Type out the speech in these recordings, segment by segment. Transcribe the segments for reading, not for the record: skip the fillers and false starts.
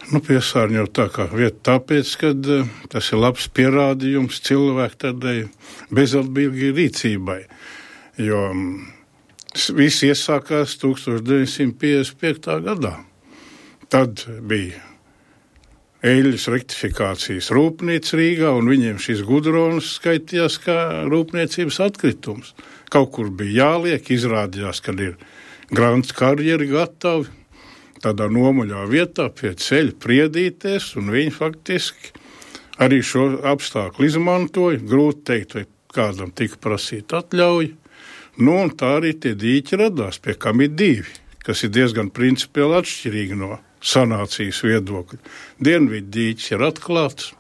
Piesārņot tā kā vieta tāpēc, ka tas ir labs pierādījums cilvēku tādai bezatbildīgai rīcībai, jo viss iesākās 1955. gadā. Tad bija eļļas rektifikācijas rūpnīca Rīgā, un viņiem šis gudrons skaitījās kā rūpniecības atkritums. Kaut kur bija jāliek, izrādījās, kad ir grants karjeri gatavi, tādā nomuļā vietā pie ceļa priedīties, un viņi faktiski arī šo apstākļu izmantoja. Grūti teikt, vai kādam tika prasīta atļauja. Un tā arī tie dīķi radās, pie kam ir divi, kas ir diezgan principiāli atšķirīgi no sanācijas viedokļa. Dienvidu dīķis ir atklāts,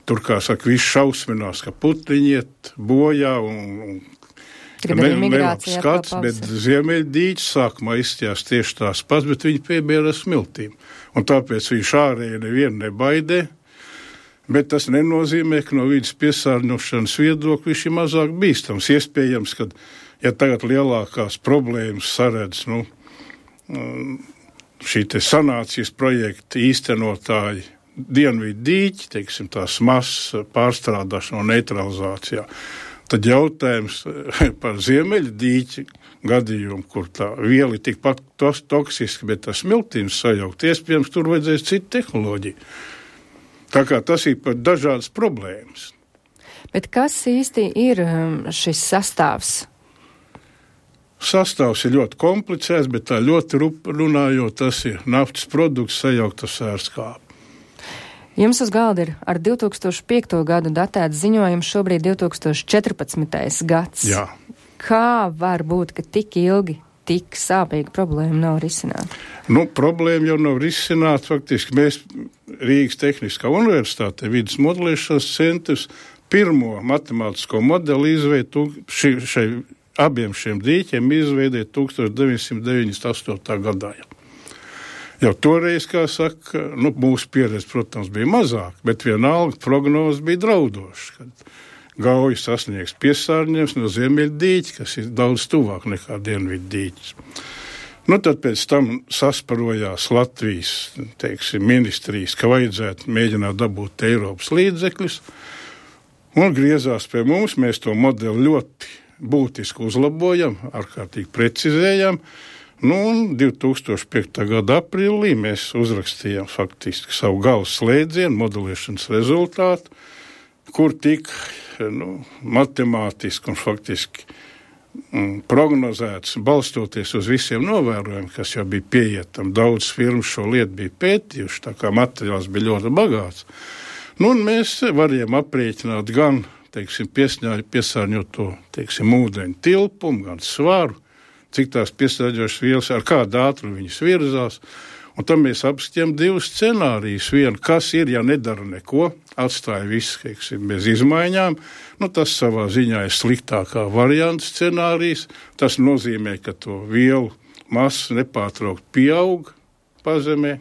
tur, kā saka, viss šausminās, ka putniņi iet bojā un nelabs skats, bet ziemeļdīķis sākumā izstījās tieši tās pats, bet viņi piebiera smiltīm. Un tāpēc viņš ārēji nevienu nebaidē, bet tas nenozīmē, ka no vidas piesārņošanas viedokļa viņš ir mazāk bīstams. Iespējams, ka, ja tagad lielākās problēmas saredz, šī te sanācijas projekta īstenotāji dienvidu dīķi, teiksim, tās masas pārstrādāšana un neutralizācijā, tad jautājums par ziemeļu dīķi gadījumu, kur tā viela ir tikpat toksiska, bet tas smiltīms sajaukt, iespējams, tur vajadzēs citu tehnoloģiju. Tā kā tas ir par dažādas problēmas. Bet kas īsti ir šis sastāvs? Sastāvs ir ļoti komplicēts, bet tā ļoti runājot, tas ir naftas produkts sajaukt ar sērskābi. Jums uz galda ir ar 2005. gadu datēts ziņojums, šobrīd 2014. gads. Jā. Kā var būt, ka tik ilgi, tik sāpīga problēma nav risināta? Problēma jau nav risināta. Faktiski mēs Rīgas Tehniskā universitātē vidas modelēšanas centrs pirmo matemātisko modeli izveidoja abiem šiem dīķiem izveidēja 1998. gadā. Jau toreiz, kā saka, mūsu pieredze, protams, bija mazāk, bet vienalga prognoze bija draudoša, kad Gauja sasniegs piesārņojums no ziemeļu dīķa, kas ir daudz tuvāk nekā dienvidu dīķis. Tad pēc tam sasparojās Latvijas, ministrijas, ka vajadzētu mēģināt dabūt Eiropas līdzekļus, un griezās pie mums, mēs to modeli ļoti būtiski uzlabojam, ārkārtīgi precizējam. Un 2005. gada aprīlī mēs uzrakstījām faktiski savu galvas slēdzienu, modelēšanas rezultātu, kur tika matemātiski un faktiski prognozēts, balstoties uz visiem novērojumiem, kas jau bija pieejami. Daudz firmu šo lietu bija pētījuši, tā kā materiāls bija ļoti bagāts. Un mēs varējām aprēķināt gan, piesārņoto, ūdeņu tilpumu, gan svaru, cik tās piesārņojošas vielas, ar kādu ātrumu viņas virzās. Un tam mēs apskatījām divus scenārijus. Vienu, kas ir, ja nedara neko, atstāja visu, bez izmaiņām. Tas savā ziņā ir sliktākā varianta scenārijs. Tas nozīmē, ka to vielu masa nepārtraukt pieaug pazemē.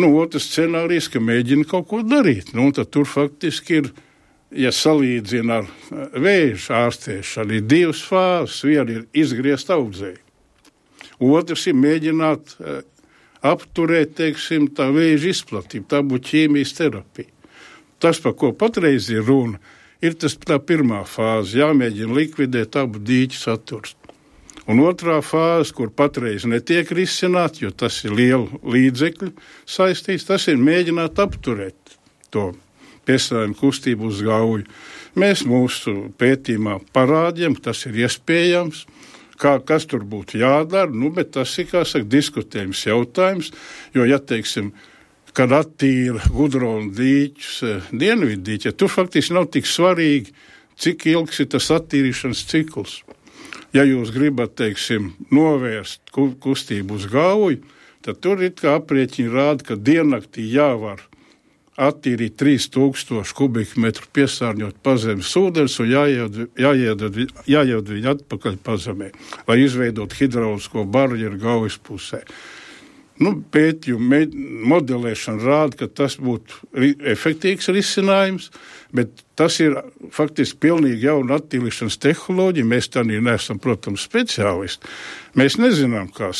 Otrs scenārijs, ka mēģina kaut ko darīt. Tad tur faktiski ir, ja salīdzina ar vēža ārstēšanu, ir divas fāzes. Viena ir izgriezt audzēju. Otrs ir mēģināt apturēt, tā vēža izplatību. Tā būtu ķīmijas terapija. Tas, par ko patreiz ir runa, ir tā pirmā fāze. Jāmēģina likvidēt abu dīķu saturs. Un otrā fāze, kur patreiz netiek risināt, jo tas ir lielu līdzekļu saistīts, tas ir mēģināt apturēt to piesārņojumu kustību uz Gauju. Mēs mūsu pētījumā parādījām, ka tas ir iespējams, kas tur būtu jādara, bet tas ir, diskutējums jautājums, jo, kad attīra gudronu dīķus, dienvidu dīķi, tur faktiski nav tik svarīgi, cik ilgs ir tas attīrīšanas cikls. Ja jūs gribat, novērst kustību uz Gauju, tad tur ir kā aprēķini rāda, ka diennaktī jāvar attīrīt 3000 kubikmetru piesārņot pazemes ūdens un jāieved viņu atpakaļ pazemē, lai izveidot hidraulisko barjeru Gaujas pusē. Pētījumu modelēšana rāda, ka tas būtu efektīvs risinājums, bet tas ir faktiski pilnīgi jauna attīrīšanas tehnoloģija. Mēs tā neesam, protams, speciālisti. Mēs nezinām, kā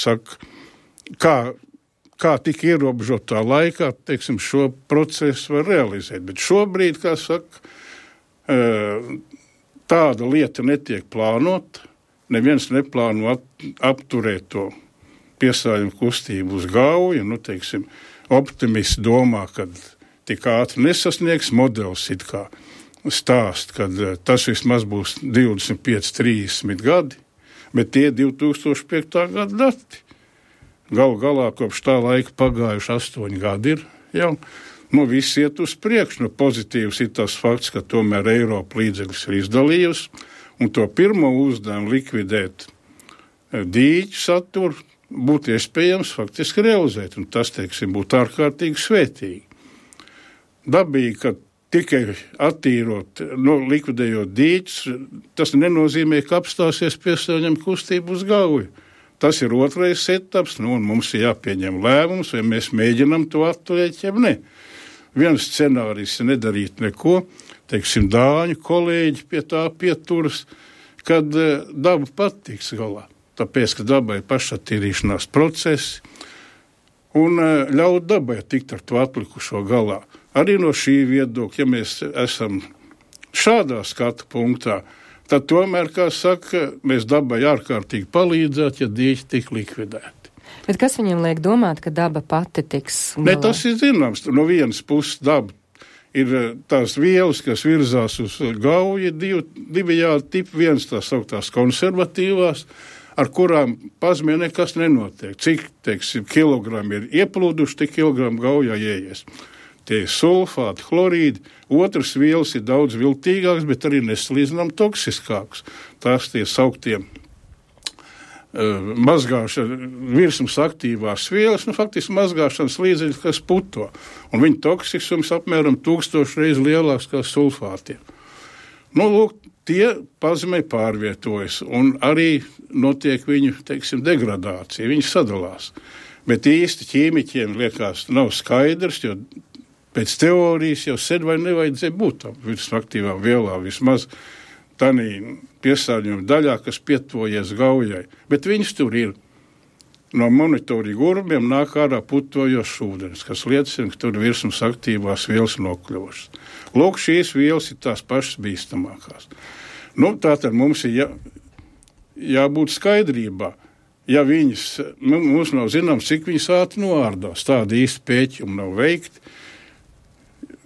kā tik ierobežotā laikā, teiksim, šo procesu var realizēt. Bet šobrīd, kā saka, tāda lieta netiek plānota, neviens neplāno apturēt to piesārņojumu kustību uz Gauju, teiksim, optimisti domā, ka tik ātri nesasniegs modelis it kā stāst, kad tas vismaz būs 25-30 gadi, bet tie 2005. Gada dati. Galu galā kopš tā laika pagājuši 8 gadi ir jau. Viss iet uz priekšu. Pozitīvs ir tas fakts, ka tomēr Eiropa līdzekļus ir izdalījusi, un to pirmo uzdevumu likvidēt dīķu saturu būtu iespējams faktiski realizēt, un tas, teiksim, būtu ārkārtīgi svētīgi. Dabīgi, ka tikai attīrot, likvidējot dīķus, tas nenozīmē, ka apstāsies piesārņojuma kustība uz Gauju. Tas ir otrais etaps, un mums ir jāpieņem lēmums, vai mēs mēģinam to atturēt, ja ne. Viens scenārijs ir nedarīt neko, teiksim, dāņu kolēģi pie tā pieturas, kad daba patiks galā. Tāpēc, ka dabai pašattīrīšanās procesi un ļaut dabai tikt ar to atlikušo galā. Arī no šī viedokļa, ja mēs esam šādā skatu punktā, tad tomēr, kā saka, mēs dabai ārkārtīgi palīdzētu, ja dīķi tik likvidēti. Bet kas viņiem liek domāt, ka daba pati tiks galā? Ne, tas ir zināms. No vienas puses daba ir tās vielas, kas virzās uz Gauju, divējādi tipi, viens tās sauktās konservatīvās, ar kurām pazmē nekas nenotiek. Cik, teiksim, kilogrami ir ieplūduši, tik kilogramu Gaujā ieies. Tie ir sulfāti, chlorīdi, otras vielas ir daudz viltīgākas, bet arī nesalīdzinām toksiskākas. Tās tie sauktie virsmas aktīvās vielas, faktiski mazgāšanas līdzekļi, kas puto. Un viņa toksiskums apmēram 1000 reiz lielāks kā sulfātiem. Lūk, tie pazemē pārvietojas, un arī notiek viņu, teiksim, degradācija, viņi sadalās. Bet īsti ķīmiķiem liekas nav skaidrs, jo pēc teorijas jau sen vai nevajadzēja būt tam virsmas aktīvām vielām, vismaz tanī piesārņojuma daļā, kas pietuvojies Gaujai. Bet viņas tur ir. No monitoringa urbiem nāk ārā putojošs ūdens, kas liecina, ka tur virsmas aktīvās vielas nokļuvušas. Lūk, šīs vielas ir tās pašas bīstamākās. Tātad mums ir jābūt skaidrībā. Ja viņas, mums nav zināms, cik viņas ātri noārdās, tādi īsti pēķumi nav veikti.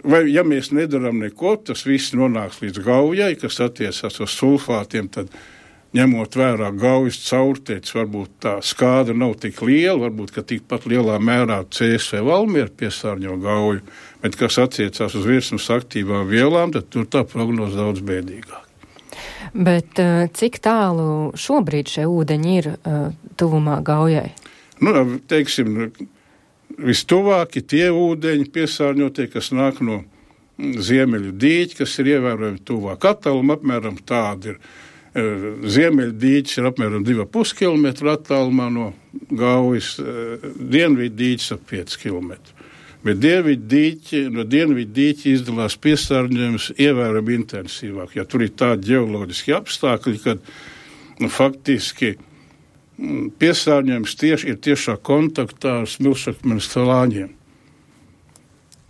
Vai, ja mēs nedaram neko, tas viss nonāks līdz Gaujai, kas attiecās uz sulfātiem, tad ņemot vērā Gaujas caurteicis, varbūt tā skāda nav tik liela, varbūt, ka tikpat lielā mērā CSV Valmiera piesārņo Gauju, bet kas attiecās uz virsmas aktīvām vielām, tad tur tā prognoze daudz bēdīgāk. Bet cik tālu šobrīd šie ūdeņi ir tuvumā Gaujai? Teiksim, vistuvāki tie ūdeņi piesārņotie, kas nāk no ziemeļu dīķi, kas ir ievērojami tuvāk. Attāluma apmēram tāda ir. Ziemeļu dīķis ir apmēram 2,5 km attālumā no Gaujas, dienvidu dīķis ap 5 km. Bet no dienvidu dīķi izdalās piesārņojums ievērojami intensīvāk, jo tur ir tādi ģeoloģiski apstākļi, kad faktiski piesārņojums ir tiešā kontaktā ar smilšakmeņa slāņiem.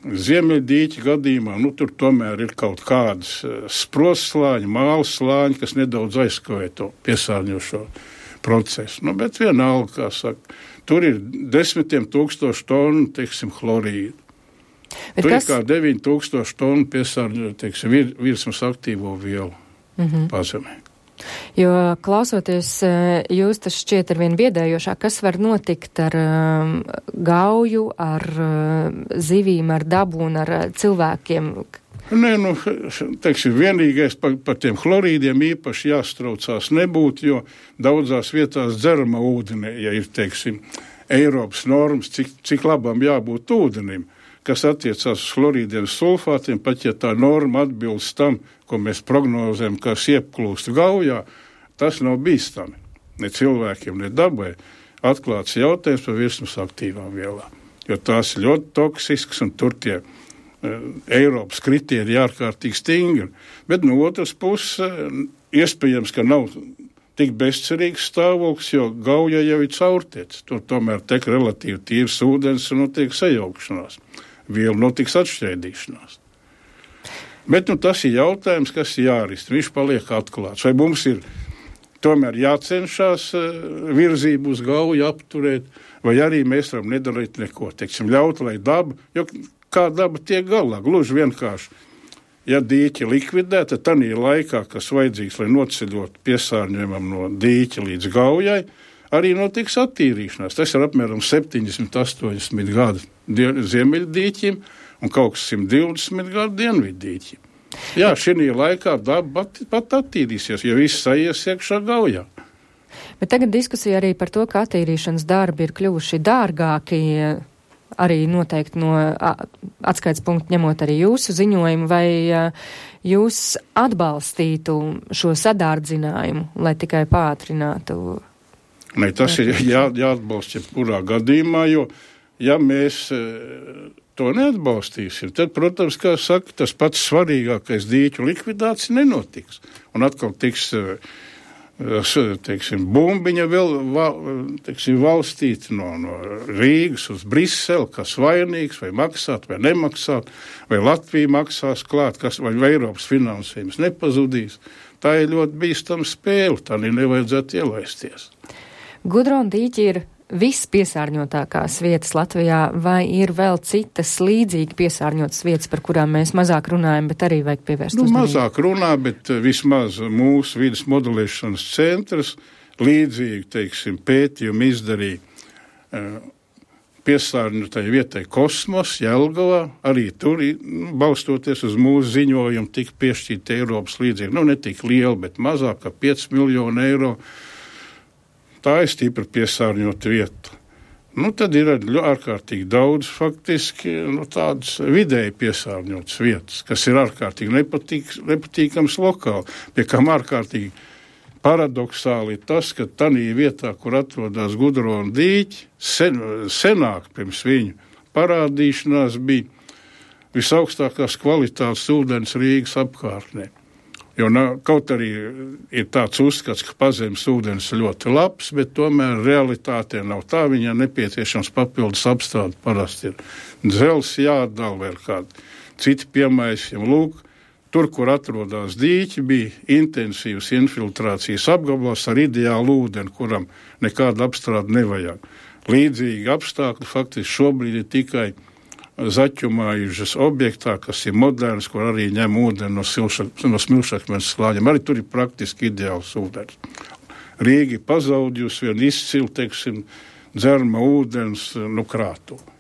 Ziemeļdīķa gadījumā, tur tomēr ir kaut kādas sprostslāņi, mālas slāņi, kas nedaudz aizskavē to piesārņošo procesu. Bet vienalga, kā saka, tur ir 10 000 tonu, teiksim, chlorīdu. Tur ir kā 9000 tonu piesārņošo, teiksim, virsmas aktīvo vielu pazemē. Jo klausoties, jūs tas šķiet arvien biedējošāk, kas var notikt ar Gauju, ar zivīm, ar dabu un ar cilvēkiem? Teiksim, vienīgais par tiem chlorīdiem īpaši jāstraucās nebūtu, jo daudzās vietās dzerama ūdenē, ja ir, teiksim, Eiropas normas, cik labam jābūt ūdenim, kas attiecās uz chlorīdiem sulfātiem, pat ja tā norma atbilst tam, ko mēs prognozējam, kas ieplūst Gaujā, tas nav bīstami. Ne cilvēkiem, ne dabai. Atklāts jautājums par virsmas aktīvām vielām. Jo tās ir ļoti toksiskas un tur tie Eiropas kritēriji ārkārtīgi stingri. Bet no otras puses, iespējams, ka nav tik bezcerīgs stāvoklis, jo Gauja jau ir caurtiec. Tur tomēr tek relatīvi tīrs ūdens un notiek sajaukšanās. Vielu notiks atšķēdīšanās. Bet tas ir jautājums, kas ir jārist. Viņš paliek atklāts. Vai mums ir tomēr jācenšās virzību uz Gauju apturēt, vai arī mēs varam nedarīt neko. Teiksim, ļaut, lai daba, jo kā daba tiek galā, gluži vienkārši. Ja dīķi likvidēta, tad tādā laikā, kas vajadzīgs, lai noceļot piesārņojumam no dīķa līdz Gaujai, arī notiks attīrīšanās. Tas ir apmēram 70-80 gadu ziemeļdīķim un kaut kas 120 gadu dienviddīķim. Jā, šī laikā daba pat attīrīsies, jo viss aizies iekšā Gaujā. Bet tagad diskusija arī par to, ka attīrīšanas darbi ir kļuvuši dārgāki, arī noteikti no atskaits punktu ņemot arī jūsu ziņojumu, vai jūs atbalstītu šo sadārdzinājumu, lai tikai pātrinātu? Ne, tas ir jāatbalsta jebkurā gadījumā, jo ja mēs to neatbalstīsim, tad, protams, kā saka, tas pats svarīgākais dīķu likvidācija nenotiks. Un atkal tiks bumbiņa vēl valstīta no Rīgas uz Briseli, kas vainīgs, vai maksāt, vai nemaksāt, vai Latvija maksās klāt, vai Eiropas finansējums nepazudīs. Tā ir ļoti bīstama spēle, tā nevajadzētu ielaisties. Gudrona dīķi ir vispiesārņotākās vietas Latvijā, vai ir vēl citas līdzīgi piesārņotas vietas, par kurām mēs mazāk runājam, bet arī vajag pievērst uzmanību? Mazāk runā, bet vismaz mūsu vides modelēšanas centrs līdzīgi, pētījumu izdarīja piesārņotai vietai Kosmos, Jelgavā, arī tur, balstoties uz mūsu ziņojumu, tika piešķirta Eiropas līdzekļi, ne tik liela, bet mazāk kā 5 miljonu eiro. Tā ir stipri piesārņota vieta. Tad ir ārkārtīgi daudz faktiski tādas vidēji piesārņotas vietas, kas ir ārkārtīgi nepatīkams lokāli. Pie kam ārkārtīgi paradoxāli ir tas, ka tādā vietā, kur atrodas Gudrona dīķi, senāk pirms viņu parādīšanās bija visaugstākās kvalitātes ūdens Rīgas apkārtnē. Jo kaut arī ir tāds uzskats, ka pazemes ūdens ir ļoti labs, bet tomēr realitātē nav tā, viņai nepieciešams papildus apstādi. Parasti ir dzels jāatdala vai kādi citi piemaisījumi. Lūk, tur, kur atrodas dīķi, bija intensīvas infiltrācijas apgabals ar ideālu ūdeni, kuram nekāda apstrāde nevajag. Līdzīgi apstākļi faktiski šobrīd ir tikai zaķumājušas objektā, kas ir moderns, kur arī ņem ūdeni no smilšakmeņa slāņiem. Arī tur ir praktiski ideāls ūdens. Rīga pazaudījusi vienu izcilu, dzerama ūdens krātuvi.